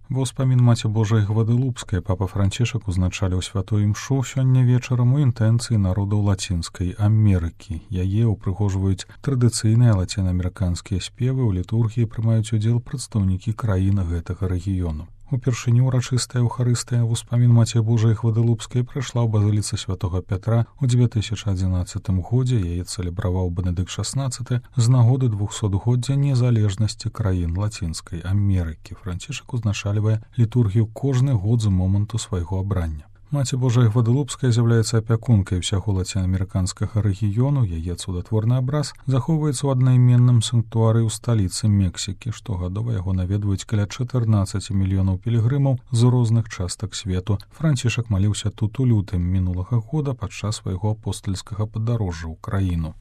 Ва ўспамін маці Божай Гваделупскай папа Францішак узначаліў святую імшу сёння вечарам у інтэнцыі народаў Лацінскай Амерыкі. Яе ўпрыгожваюць традыцыйныя лацінаамерыканскія спевы, у літургіі прымаюць удзел прадстаўнікі краін гэтага рэгіёну. Упершыню ўрачыстая Еўхарыстыя в успамін маці Божай Гваделупскай прайшла ў базыліцы святога Пятра ў 2011 годзе. Яе цэлебраваў Бенедыкт XVI з нагоды 200-годдзя незалежнасці краін Лацінскай Амерыкі. Францішак узначальвае літургію кожны год з моманту свайго абрання. Маці Божая Гваделупская з'яўляецца апякункай усяго лацінаамерыканскага рэгіёну. Яе цудатворны абраз захоўваецца ў аднайменным санктуары ў сталіцы Мексікі. Штогадова яго наведваюць каля 14 мільёнаў пілігрымаў з розных частак свету. Францішак маліўся тут у лютым мінулага года падчас свайго апостальскага падарожжа ў краіну.